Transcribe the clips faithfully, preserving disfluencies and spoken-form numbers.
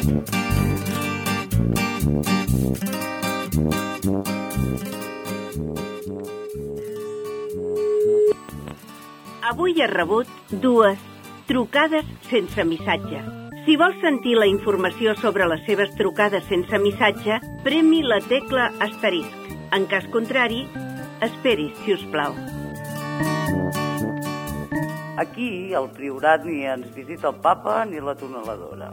Avui he rebut dues trucades sense missatge. Si vols sentir la informació sobre les seves trucades sense missatge, premi la tecla asterisc. En cas contrari, esperis, si us plau. Aquí, al Priorat, ni ens visita el papa ni la tuneladora.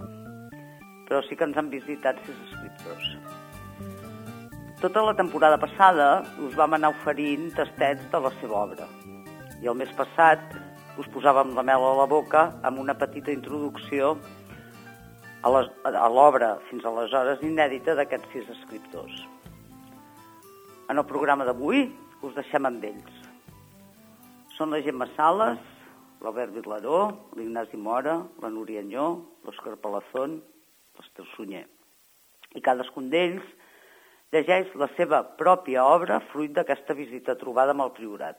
Però sí que ens han visitat sis escriptors. Tota la temporada passada us vam anar oferint tastets de la seva obra. I el mes passat us posàvem la mel a la boca amb una petita introducció a l'obra fins aleshores inèdita d'aquests sis escriptors. En el programa d'avui us deixem amb ells. Són la Gemma Sales, l'Albert Vilaró, l'Ignasi Mora, la Núria Anyó, l'Òscar Palazón, l'Ester Sunyer. I cadascun d'ells llegeix la seva pròpia obra fruit d'aquesta visita trobada amb el Priorat.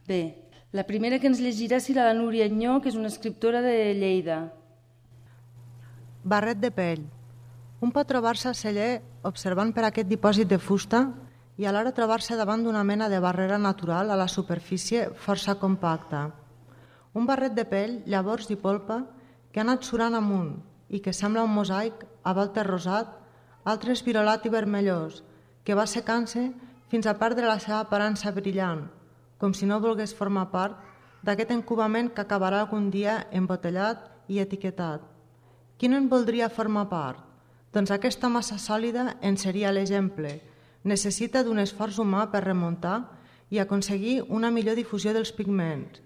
Bé, la primera que ens llegirà serà la Núria Anyó, que és una escriptora de Lleida. Barret de pell. Un pot trobar-se a celler observant per aquest dipòsit de fusta i alhora trobar-se davant d'una mena de barrera natural a la superfície força compacta. Un barret de pell, llavors i polpa, que ha anat surant amunt i que sembla un mosaic a voltes rosat, altres virolat i vermellós, que va secant-se fins a perdre la seva aparença brillant, com si no volgués formar part d'aquest encubament que acabarà algun dia embotellat i etiquetat. Qui no en voldria formar part? Doncs aquesta massa sòlida en seria l'exemple. Necessita d'un esforç humà per remuntar i aconseguir una millor difusió dels pigments.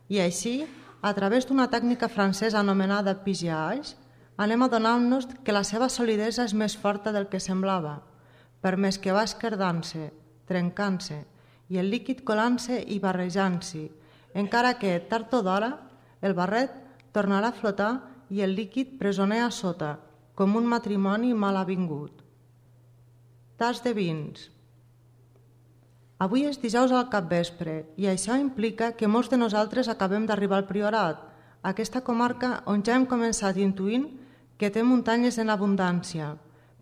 I així, a través d'una tècnica francesa anomenada pigeage, anem adonant-nos que la seva solidesa és més forta del que semblava, per més que va esquerdant-se, trencant-se, i el líquid colant-se i barrejant-s'hi, encara que, tard o d'hora, el barret tornarà a flotar i el líquid presoner a sota, com un matrimoni mal avingut. Tas de vins. Avui és dijous al capvespre i això implica que molts de nosaltres acabem d'arribar al Priorat, aquesta comarca on ja hem començat intuint que té muntanyes en abundància,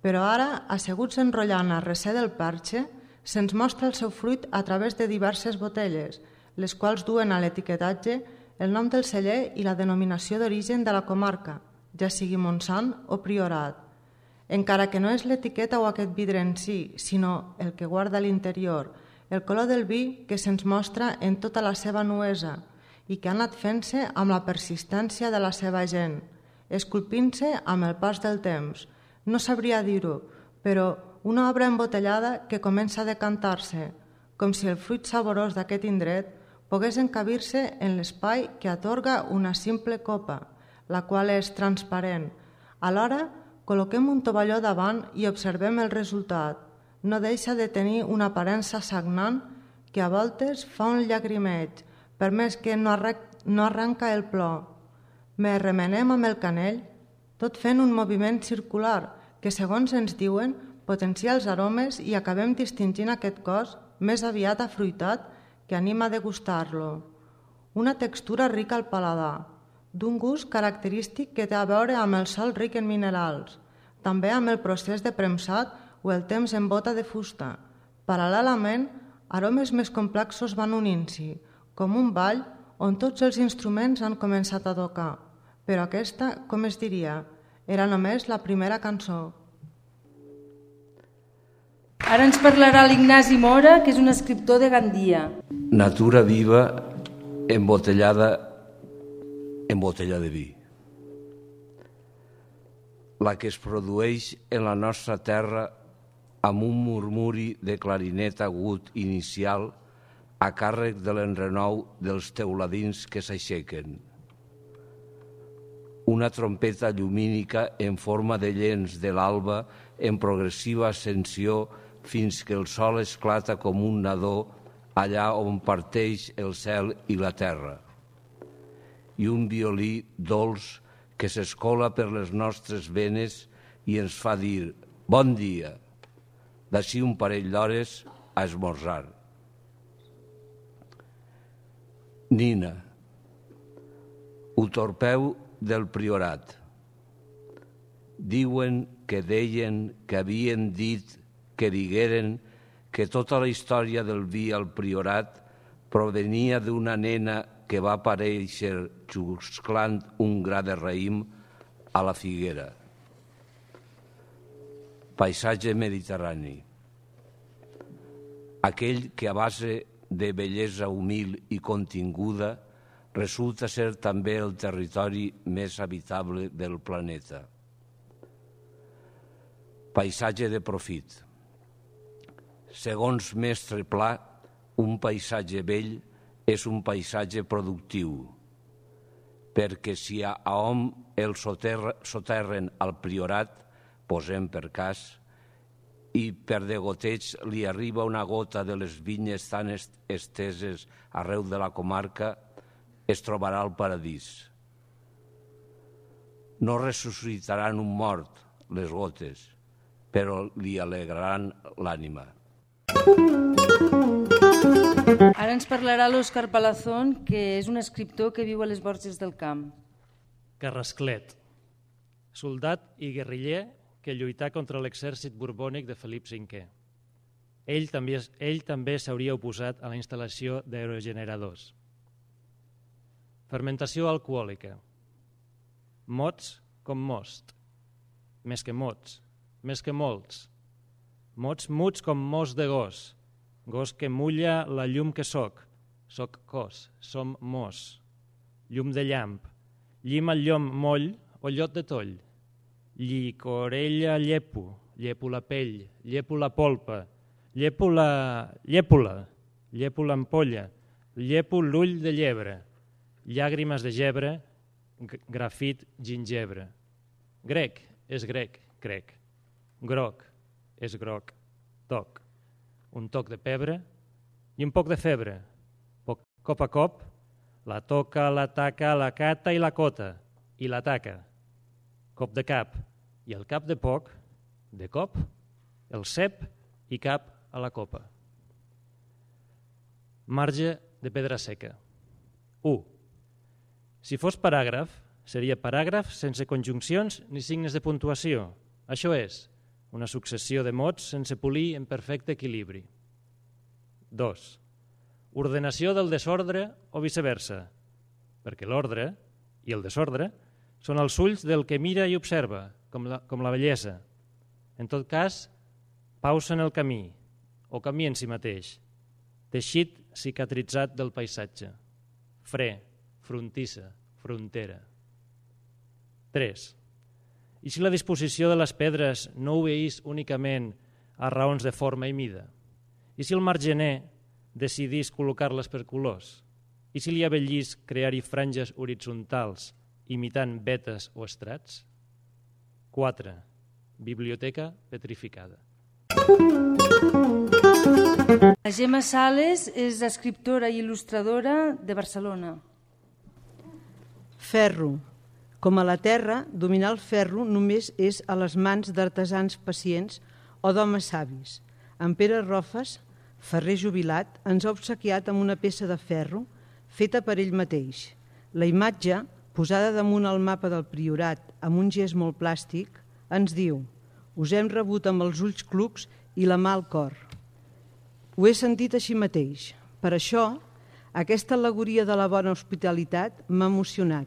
però ara, asseguts enrotllant a recer del Perxe, se'ns mostra el seu fruit a través de diverses botelles, les quals duen a l'etiquetatge el nom del celler i la denominació d'origen de la comarca, ja sigui Montsant o Priorat. Encara que no és l'etiqueta o aquest vidre en si, sinó el que guarda a l'interior, el color del vi que se'ns mostra en tota la seva nuesa i que ha anat fent-se amb la persistència de la seva gent, esculpint-se amb el pas del temps. No sabria dir-ho, però una obra embotellada que comença a decantar-se, com si el fruit saborós d'aquest indret pogués encabir-se en l'espai que atorga una simple copa, la qual és transparent. Alhora, col·loquem un tovalló davant i observem el resultat. No deixa de tenir una aparença sagnant que a voltes fa un llagrimeig, per més que no, arrec- no arranca el plor. Me remenem amb el canell, tot fent un moviment circular que, segons ens diuen, potencia els aromes i acabem distingint aquest cos més aviat afruitat que anima a degustar-lo. Una textura rica al paladar, d'un gust característic que té a veure amb el sòl ric en minerals, també amb el procés de premsat o el temps en bota de fusta. Paral·lelament, aromes més complexos van unint-s'hi, com un ball on tots els instruments han començat a tocar. Però aquesta, com es diria, era només la primera cançó. Ara ens parlarà l'Ignasi Mora, que és un escriptor de Gandia. Natura viva embotellada en botella de vi. La que es produeix en la nostra terra amb un murmuri de clarinet agut inicial a càrrec de l'enrenou dels teuladins que s'aixequen. Una trompeta llumínica en forma de llenç de l'alba en progressiva ascensió fins que el sol esclata com un nadó allà on parteix el cel i la terra. I un violí dolç que s'escola per les nostres venes i ens fa dir «Bon dia», d'ací un parell d'hores a esmorzar. Nina, ho torpeu del priorat. Diuen que deien, que havien dit, que digueren que tota la història del vi al priorat provenia d'una nena que va aparèixer xusclant un gra de raïm a la figuera. Paisatge mediterrani. Aquell que a base de bellesa humil i continguda resulta ser també el territori més habitable del planeta. Paisatge de profit. Segons Mestre Pla, un paisatge vell és un paisatge productiu, perquè si a hom el soterren al priorat, posem per cas, i per degoteig li arriba una gota de les vinyes tan esteses arreu de la comarca, es trobarà al paradís. No ressuscitaran un mort, les gotes, però li alegraran l'ànima. Ara ens parlarà l'Òscar Palazón, que és un escriptor que viu a les Borges del Camp. Carrasclet, soldat i guerriller que lluità contra l'exèrcit borbònic de Felip cinquè. Ell també, ell també s'hauria oposat a la instal·lació d'aerogeneradors. Fermentació alcohòlica. Mots com most. Més que mots, més que molts. Mots muts com mos de gos. Gos que mulla la llum que soc. Soc cos, som mos. Llum de llamp. Llim el llom moll o llot de toll. Llicorella llepo, llepo la pell, llepo la polpa, llepo la llèpola, llepo l'ampolla, llepo l'ull de llebre, llàgrimes de gebre, grafit gingebre. Grec és grec, crec. Groc és groc, toc. Un toc de pebre i un poc de febre. Poc, cop a cop, la toca, la taca, la cata i la cota, i la taca. Cop de cap, i al cap de poc, de cop, el cep i cap a la copa. Marge de pedra seca. u. Si fos paràgraf, seria paràgraf sense conjuncions ni signes de puntuació. Això és, una successió de mots sense polir en perfecte equilibri. dos. Ordenació del desordre o viceversa, perquè l'ordre i el desordre són els ulls del que mira i observa, com la, com la bellesa. En tot cas, pausa en el camí, o camí en si mateix, teixit cicatritzat del paisatge, fre, frontissa, frontera. tres. I si la disposició de les pedres no obeís únicament a raons de forma i mida? I si el margener decidís col·locar-les per colors? I si li avellís crear-hi franges horitzontals imitant vetes o estrats? quatre. Biblioteca petrificada. La Gemma Sales és escriptora i il·lustradora de Barcelona. Ferro. Com a la terra, dominar el ferro només és a les mans d'artesans pacients o d'homes savis. En Pere Rofes, ferrer jubilat, ens ha obsequiat amb una peça de ferro feta per ell mateix. La imatge, posada damunt el mapa del Priorat amb un gest molt plàstic, ens diu: us hem rebut amb els ulls clucs i la mà al cor. Ho he sentit així mateix. Per això, aquesta al·legoria de la bona hospitalitat m'ha emocionat.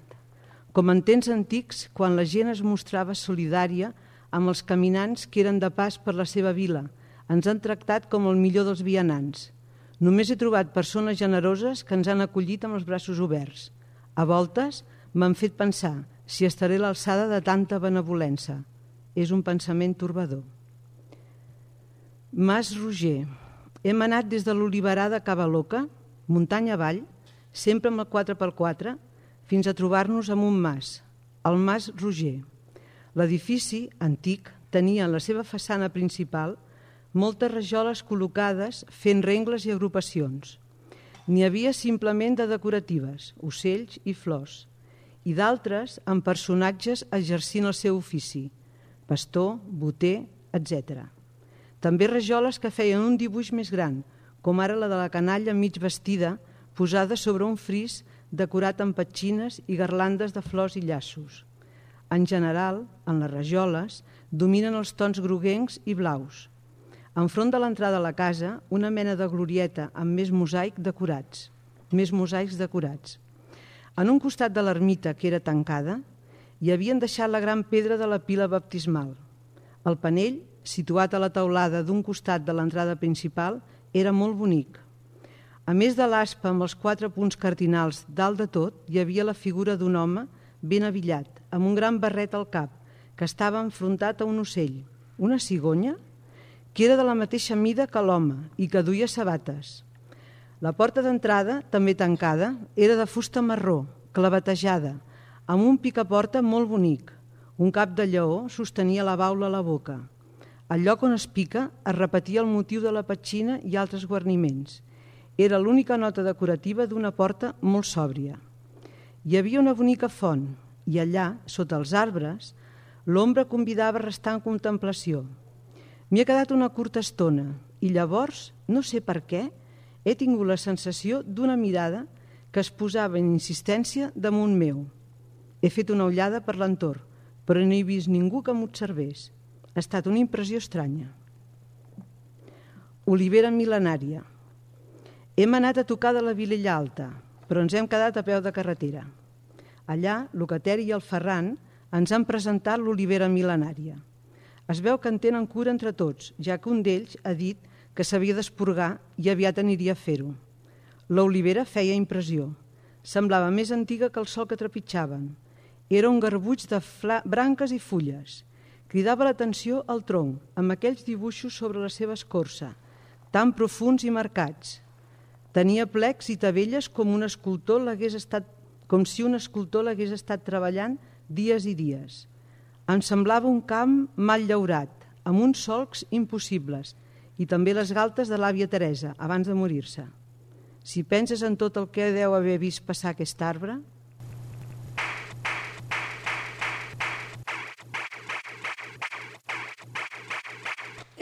Com en temps antics, quan la gent es mostrava solidària amb els caminants que eren de pas per la seva vila, ens han tractat com el millor dels vianants. Només he trobat persones generoses que ens han acollit amb els braços oberts. A voltes m'han fet pensar si estaré a l'alçada de tanta benevolença. És un pensament torbador. Mas Roger. Hem anat des de l'Oliverà de Cavaloca, muntanya avall, sempre amb el quatre per quatre, fins a trobar-nos amb un mas, el Mas Roger. L'edifici, antic, tenia en la seva façana principal moltes rajoles col·locades fent rengles i agrupacions. N'hi havia simplement de decoratives, ocells i flors, i d'altres amb personatges exercint el seu ofici, pastor, boter, etcètera. També rajoles que feien un dibuix més gran, com ara la de la canalla mig vestida, posada sobre un fris decorat amb petxines i garlandes de flors i llaços. En general, en les rajoles, dominen els tons groguencs i blaus. Enfront de l'entrada a la casa, una mena de glorieta amb més mosaic decorats, més mosaics decorats. En un costat de l'ermita, que era tancada, hi havien deixat la gran pedra de la pila baptismal. El panell, situat a la teulada d'un costat de l'entrada principal, era molt bonic. A més de l'aspa amb els quatre punts cardinals dalt de tot, hi havia la figura d'un home ben avillat, amb un gran barret al cap, que estava enfrontat a un ocell, una cigonya, que era de la mateixa mida que l'home i que duia sabates. La porta d'entrada, també tancada, era de fusta marró, clavetejada, amb un picaporta molt bonic. Un cap de lleó sostenia la baula a la boca. Al lloc on es pica es repetia el motiu de la petxina i altres guarniments. Era l'única nota decorativa d'una porta molt sòbria. Hi havia una bonica font i allà, sota els arbres, l'ombra convidava a restar en contemplació. M'hi ha quedat una curta estona i llavors, no sé per què, he tingut la sensació d'una mirada que es posava en insistència damunt meu. He fet una ullada per l'entorn, però no he vist ningú que m'observés. Ha estat una impressió estranya. Olivera mil·lenària. Hem anat a tocar de la Vilella Alta, però ens hem quedat a peu de carretera. Allà, l'Ocater i el Ferran ens han presentat l'olivera mil·lenària. Es veu que en tenen cura entre tots, ja que un d'ells ha dit que s'havia d'esporgar i aviat aniria a fer-ho. L'olivera feia impressió. Semblava més antiga que el sol que trepitjaven. Era un garbuix de branques i fulles. Cridava l'atenció al tronc, amb aquells dibuixos sobre la seva escorça, tan profuns i marcats. Tenia plecs i tavelles com un escultor l'hagués estat, com si un escultor l'hagués estat treballant dies i dies. Em semblava un camp mal llaurat, amb uns solcs impossibles, i també les galtes de l'àvia Teresa, abans de morir-se. Si penses en tot el que deu haver vist passar aquest arbre...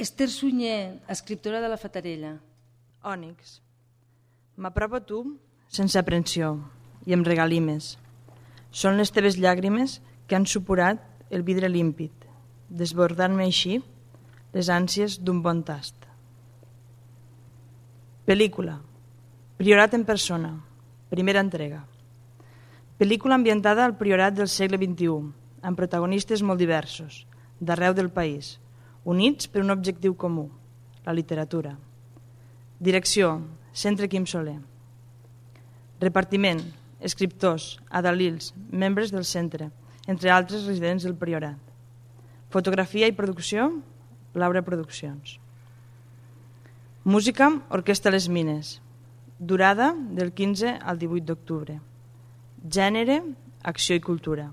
Esther Sunyer, escriptora de La Fatarella. Ònix. M'apropo a tu sense aprensió i em regalimes. Són les teves llàgrimes que han supurat el vidre límpid, desbordant-me així les ànsies d'un bon tast. Pel·lícula. Priorat en persona. Primera entrega. Pel·lícula ambientada al priorat del segle vint-i-u, amb protagonistes molt diversos, d'arreu del país, units per un objectiu comú, la literatura. Direcció, Centre Quim Soler. Repartiment, escriptors, adalils, membres del centre, entre altres residents del priorat. Fotografia i producció, Laura Produccions. Música, Orquestra Les Mines. Durada, del quinze al divuit d'octubre. Gènere, acció i cultura.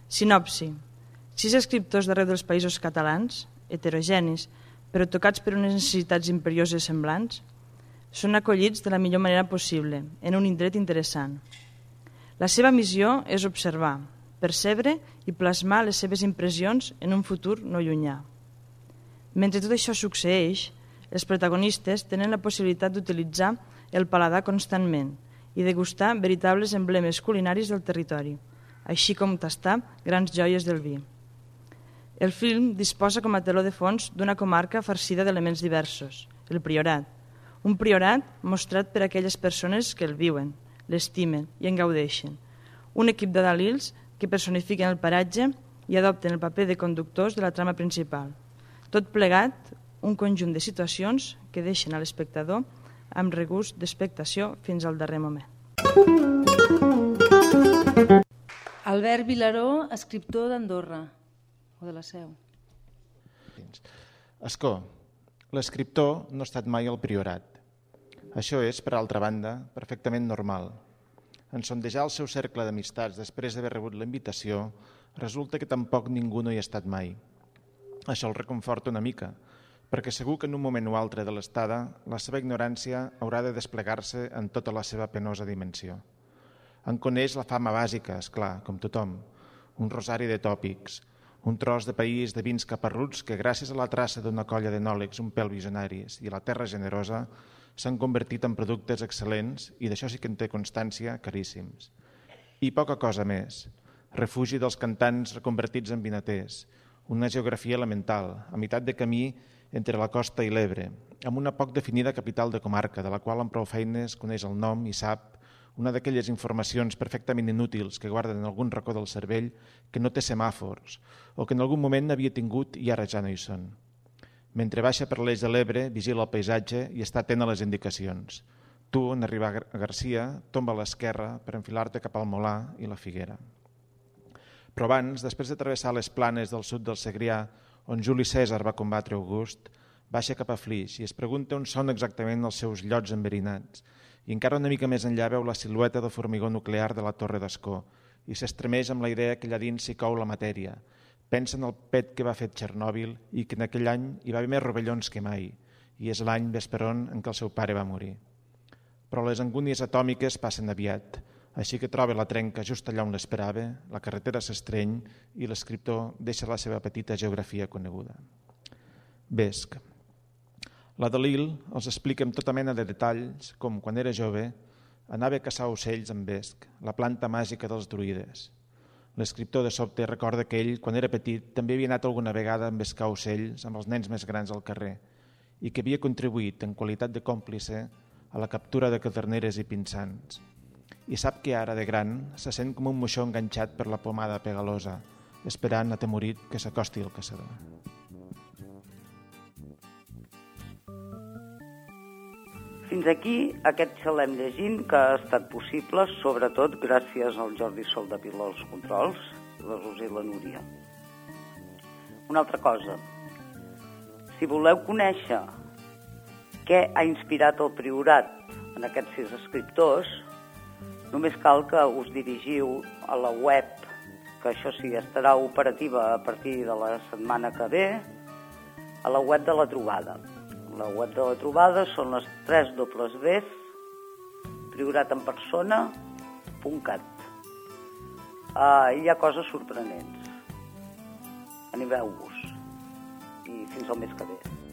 Sinopsi. Sis escriptors d'arreu dels països catalans, heterogenis, però tocats per unes necessitats imperioses semblants, són acollits de la millor manera possible, en un indret interessant. La seva missió és observar, percebre i plasmar les seves impressions en un futur no llunyà. Mentre tot això succeeix, els protagonistes tenen la possibilitat d'utilitzar el paladar constantment i degustar veritables emblemes culinaris del territori, així com tastar grans joies del vi. El film disposa com a teló de fons d'una comarca farcida d'elements diversos, el priorat, un priorat mostrat per aquelles persones que el viuen, l'estimen i en gaudeixen, un equip d'adalils que personifiquen el paratge i adopten el paper de conductors de la trama principal. Tot plegat, un conjunt de situacions que deixen a l'espectador amb regust d'expectació fins al darrer moment. Albert Vilaró, escriptor d'Andorra, o de la Seu. Escó, l'escriptor no ha estat mai al priorat. Això és, per altra banda, perfectament normal. En sondejar el seu cercle d'amistats després d'haver rebut la invitació, resulta que tampoc ningú no hi ha estat mai. Això el reconforta una mica, perquè segur que en un moment o altre de l'estada la seva ignorància haurà de desplegar-se en tota la seva penosa dimensió. En coneix la fama bàsica, és clar, com tothom, un rosari de tòpics, un tros de país de vins caparruts que gràcies a la traça d'una colla d'enòlegs un pèl visionaris i a la terra generosa s'han convertit en productes excel·lents i d'això sí que en té constància, caríssims. I poca cosa més. Refugi dels cantants reconvertits en vinaters, una geografia elemental, a meitat de camí entre la costa i l'Ebre, amb una poc definida capital de comarca, de la qual amb prou feines coneix el nom i sap una d'aquelles informacions perfectament inútils que guarden en algun racó del cervell que no té semàfors o que en algun moment n'havia tingut i ara ja no hi són. Mentre baixa per l'eix de l'Ebre, vigila el paisatge i està atent a les indicacions. Tu, en arribar a Garcia, tomba a l'esquerra per enfilar-te cap al Molar i la Figuera. Però abans, després de travessar les planes del sud del Segrià, on Juli Cèsar va combatre August, baixa cap a Flix i es pregunta on són exactament els seus llots enverinats. I encara una mica més enllà veu la silueta del formigó nuclear de la Torre d'Ascó i s'estremeix amb la idea que allà dins s'hi cou la matèria. Pensa en el pet que va fer Txernòbil i que en aquell any hi va haver més rovellons que mai, i és l'any vesperon en què el seu pare va morir. Però les angúnies atòmiques passen aviat, així que troba la trenca just allà on l'esperava, la carretera s'estreny i l'escriptor deixa la seva petita geografia coneguda. Vesc. La Dalil els explica amb tota mena de detalls com, quan era jove, anava a caçar ocells amb vesc, la planta màgica dels druides. L'escriptor de sobte recorda que ell, quan era petit, també havia anat alguna vegada a embescar ocells amb els nens més grans al carrer i que havia contribuït, en qualitat de còmplice, a la captura de caderneres i pinsans. I sap que ara, de gran, se sent com un moixó enganxat per la pomada pegalosa, esperant, atemorit, que s'acosti el caçador. Fins aquí aquest xalem llegint que ha estat possible, sobretot gràcies al Jordi Soldevila als controls i la Roser i la Núria. Una altra cosa, si voleu conèixer què ha inspirat el Priorat en aquests sis escriptors, només cal que us dirigiu a la web, que això sí, estarà operativa a partir de la setmana que ve, a la web de la Trobada. La web de la Trobada són les tres dobles ves, prioratenpersona punt cat. Uh, hi ha coses sorprenents. Animeu-vos. I fins al mes que ve.